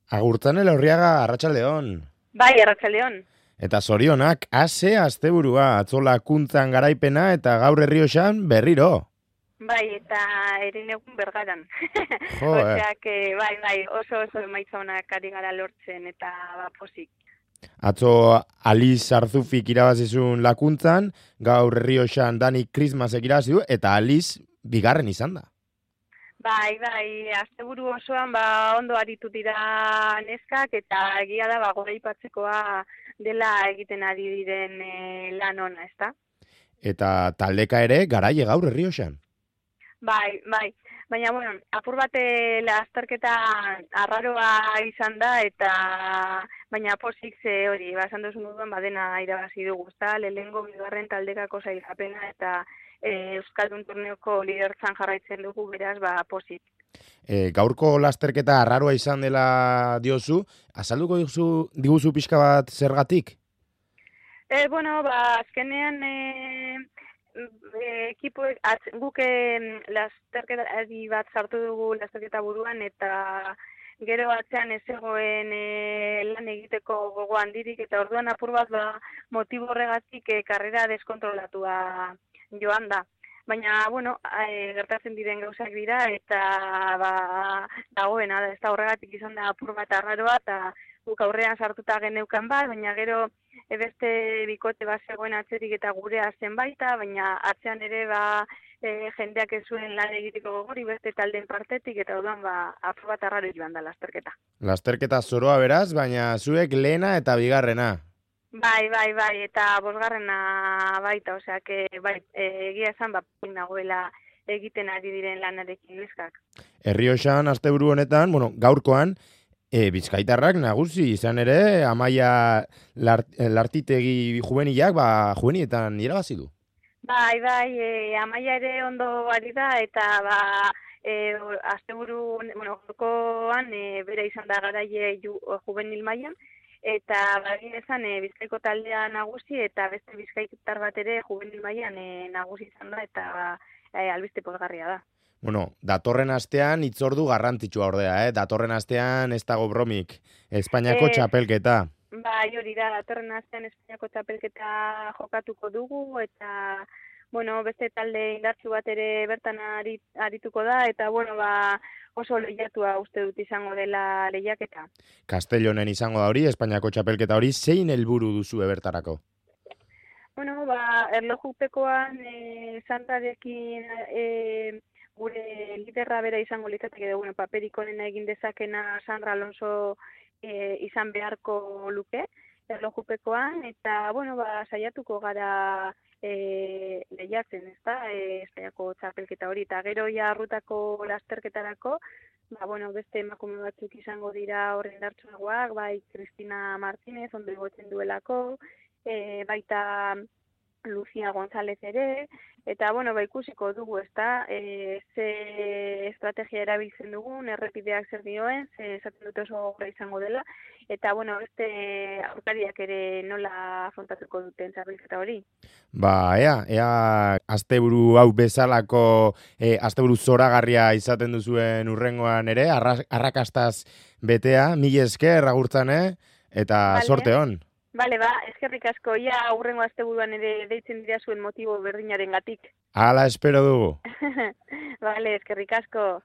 Agurtzane Laurriaga, Arratsaldeon. Bai, Arratsaldeon. Eta zorionak, ase asteburua, atzolakuntzan garaipena eta gaur Errioxan berriro. Bai, eta egun Bergaran. Jo, Osea, bai, oso emaitza onak ari gara lortzen eta pozik. Atzo Aliz Arzufik irabazizun lakuntzan, gaur Errioxan Dani Krismasek irabazi du, eta Aliz bigarren izan da. Bai, asteburu osoan ondo aritu dira neskak eta egia da goraipatzekoa dela egiten ari diren lan ona, ezta? Eta taldeka ere garaile gaur Errioxan. Bai. Baina, bueno, apur bate lasterketa arraroa izan da, baina pozik ze hori, esan duzun moduan badena irabazi dugu, ezta? Lehenengo bigarren taldekako sailkapena eta Euskaldun torneoko lidertzan jarraitzen dugu, beraz, pozik. Gaurko lasterketa arraroa izan dela diozu, azalduko diguzu pixka bat zergatik? Bueno, azkenean guk lasterketa bat sartu dugu lasterketa buruan eta gero atzean ez zegoen lan egiteko gogo handirik eta orduan apur bat motibo horregatik karrera deskontrolatua joan da. Baina, bueno, gertatzen diren gauzak dira eta dagoena da, ez da horregatik izan da apur bat arraroa eta guk aurrean sartuta geneukan bat, baina gero beste bikote bat zegoen atzerik eta gurea zen baita, baina atzean ere jendeak ez zuen lan egiteko gogori beste taldeen partetik eta orduan apur bat arraro joan da lasterketa. Lasterketa zoroa beraz, baina zuek lehena eta bigarrena. Bai, eta bosgarrena baita, osea, egia esan nagoela egiten ari diren lanarekin neskak. Errioxan asteburu honetan, gaurkoan, Bizkaitarrak nagusi izan ere, Amaia Lartitegi juvenilak, juvenietan irabazi du. Bai, Amaia ere ondo ari da, eta asteburu, gaurkoan bera izan da garaile juvenil mailan, eta esan Bizkaiko taldea nagusi eta beste Bizkaitar bat ere juvenil mailan nagusi izan da eta albiste pozgarria da. Datorren astean hitzordu garrantzitsua ordea, datorren astean ez dago bromik, Espainiako txapelketa. Bai, hori da, datorren astean Espainiako txapelketa jokatuko dugu eta beste talde indartsu bat ere bertan arituko da eta oso lehiatua uste dut izango dela lehiaketa. Castellonen izango da hori, Espainiako txapelketa hori, zein helburu duzu bertarako? Erlojupekoan Santarekin gure liderra bera izango litzateke da, paperik onena egin dezakena Sandra Alonso izan beharko luke, erlojupekoan, eta, saiatuko gara lehiatzen, ezta, Espainiako txapelketa hori, eta gero arrutako lasterketarako, beste emakume batzuk izango dira horren dartsuagoak, bai Cristina Martínez, ondo egotzen duelako, baita Lucia González ere, eta, ikusiko dugu, ezta, ze estrategia erabiltzen dugun, errepideak zer dioen, ze esaten dut oso gogorra izango dela, eta, beste aurkariak ere nola afrontatuko duten txapelketa hori. Ea asteburu hau bezalako asteburu zoragarria izaten duzuen urrengoan ere, arrakastaz betea, mila esker agurtzane, eta sorte hon. Bale, eskerrik asko, ia aurrengo asteburuan ere deitzen dira zuen motibo berdinaren gatik. Hala espero dugu. Bale, eskerrik asko.